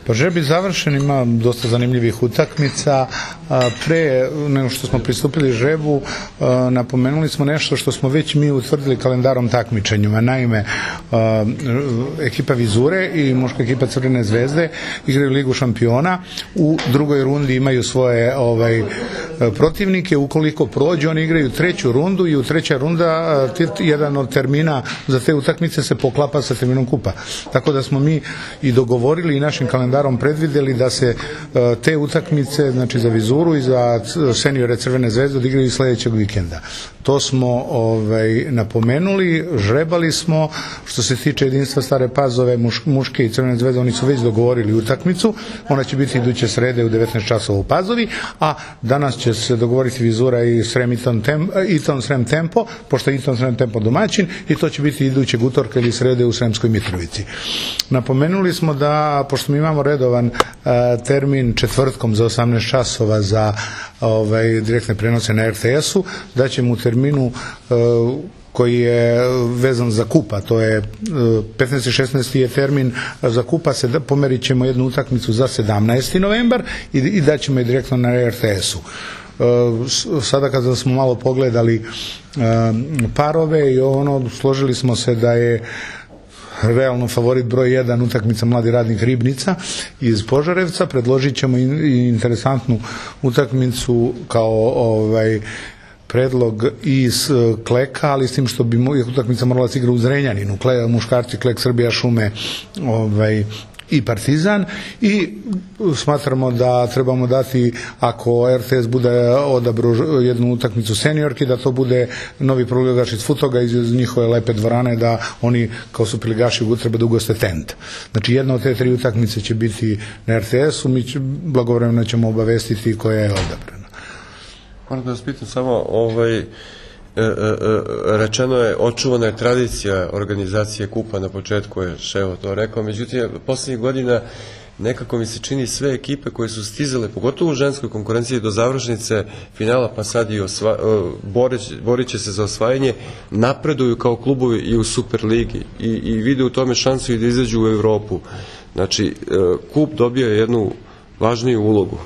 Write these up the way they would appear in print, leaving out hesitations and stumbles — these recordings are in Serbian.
Pa žreb je završen, ima dosta zanimljivih utakmica. Pre nego što smo pristupili žrebu, napomenuli smo nešto što smo već mi utvrdili kalendarom takmičenjima. Naime, ekipa Vizure i muška ekipa Crvene zvezde igraju Ligu šampiona. U drugoj rundi imaju svoje protivnike. Ukoliko prođu, oni igraju treću rundu i u treća runda jedan od termina za te utakmice se poklapa sa terminom kupa. Tako da smo mi i dogovorili i našim kalendarom predvideli da se te utakmice, znači za Vizuru i za seniore Crvene zvezde, odigraju sledećeg vikenda. To smo napomenuli, žrebali smo. Što se tiče jedinstva Stare Pazove, muške i Crvene zvezde, oni su već dogovorili utakmicu. Ona će biti iduće srede u 19 časova u Pazovi, a danas će se dogovoriti Vizura i Iton Srem Tempo, pošto je Iton Srem Tempo domaćin, i to će biti idućeg utorka ili srede u Sremskoj Mitrovici. Napomenuli smo da, pošto mi imamo redovan termin četvrtkom za 18 časova za direktne prenose na RTS-u, da ćemo u terminu koji je vezan za kupa, to je 15. i 16. je termin za kupa, pomerit ćemo jednu utakmicu za 17. novembar i daćemo je direktno na RTS-u. Sada kada smo malo pogledali parove i složili smo se da je realno favorit broj 1 utakmica Mladi radnik Ribnica iz Požarevca. Predložit ćemo i interesantnu utakmicu kao predlog iz Kleka, ali s tim što bi utakmica morala se igra u Zrenjaninu, muškarci Klek Srbija šume i Partizan, i smatramo da trebamo dati, ako RTS bude odabrao jednu utakmicu seniorki, da to bude novi prvoligaš iz Futoga iz njihove lepe dvorane, da oni kao superligaši treba da ugoste tent. Znači jedna od te 3 utakmice će biti na RTS-u, mi blagovremeno ćemo obavestiti koja je odabrana. Moram da vas pitam samo, rečeno je, očuvana je tradicija organizacije kupa, na početku je Ševo to rekao, međutim, poslednjih godina nekako mi se čini sve ekipe koje su stizale, pogotovo u ženskoj konkurenciji, do završnice finala, pa sad i borit će se za osvajanje, napreduju kao klubovi i u Superligi i vide u tome šansu i da izađu u Evropu. Znači, kup dobio jednu važniju ulogu.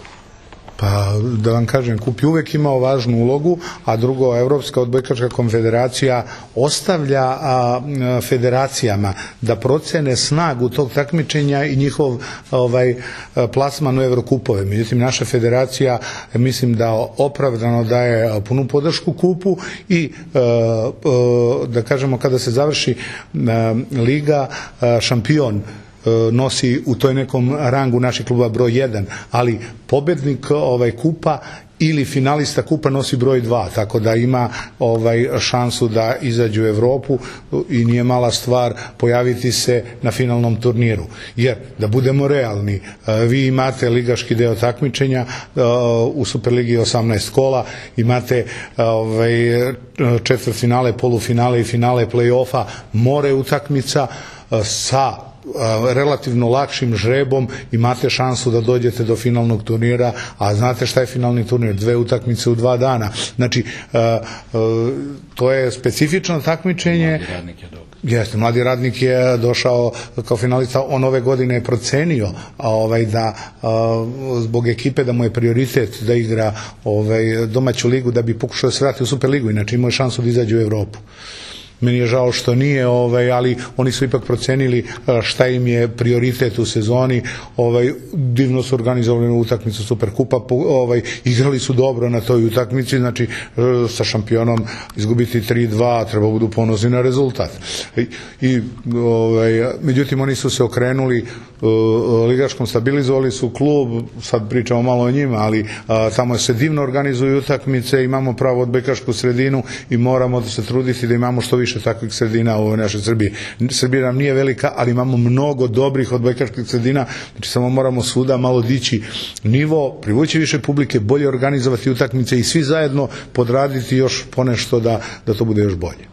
Pa da vam kažem, kup je uvek imao važnu ulogu, a drugo, Evropska odbojkaška konfederacija ostavlja federacijama da procene snagu tog takmičenja i njihov plasman u Evrokupove. Međutim, naša federacija, mislim da opravdano daje punu podršku kupu i da kažemo, kada se završi liga, šampion nosi u toj nekom rangu naših kluba broj 1, ali pobednik kupa ili finalista kupa nosi broj 2, tako da ima šansu da izađe u Evropu i nije mala stvar pojaviti se na finalnom turniru. Jer, da budemo realni, vi imate ligaški deo takmičenja, u Superligi 18 kola, imate četvrtfinale, polufinale i finale play-offa, more utakmica sa relativno lakšim žrebom imate šansu da dođete do finalnog turnira, a znate šta je finalni turnir? 2 utakmice u 2 dana. Znači, to je specifično takmičenje. Mladi radnik je dobro. Jeste, Mladi radnik je došao kao finalista, on ove godine je procenio da zbog ekipe da mu je prioritet da igra domaću ligu, da bi pokušao da se vrati u Superligu, inače imao je šansu da izađe u Evropu. Meni je žao što nije, ali oni su ipak procenili šta im je prioritet u sezoni. Divno su organizovali utakmicu Superkupa, igrali su dobro na toj utakmici, znači sa šampionom izgubiti 3-2, treba budu ponosni na rezultat. Međutim, oni su se okrenuli ligaškom, stabilizovali su klub, sad pričamo malo o njima, ali tamo se divno organizuju utakmice, imamo pravu odbojkašku sredinu i moramo se truditi da imamo što više takvih sredina u ovoj našoj Srbiji. Srbija nam nije velika, ali imamo mnogo dobrih odbojkaških sredina, znači samo moramo svuda malo dići nivo, privući više publike, bolje organizovati utakmice i svi zajedno podraditi još ponešto da to bude još bolje.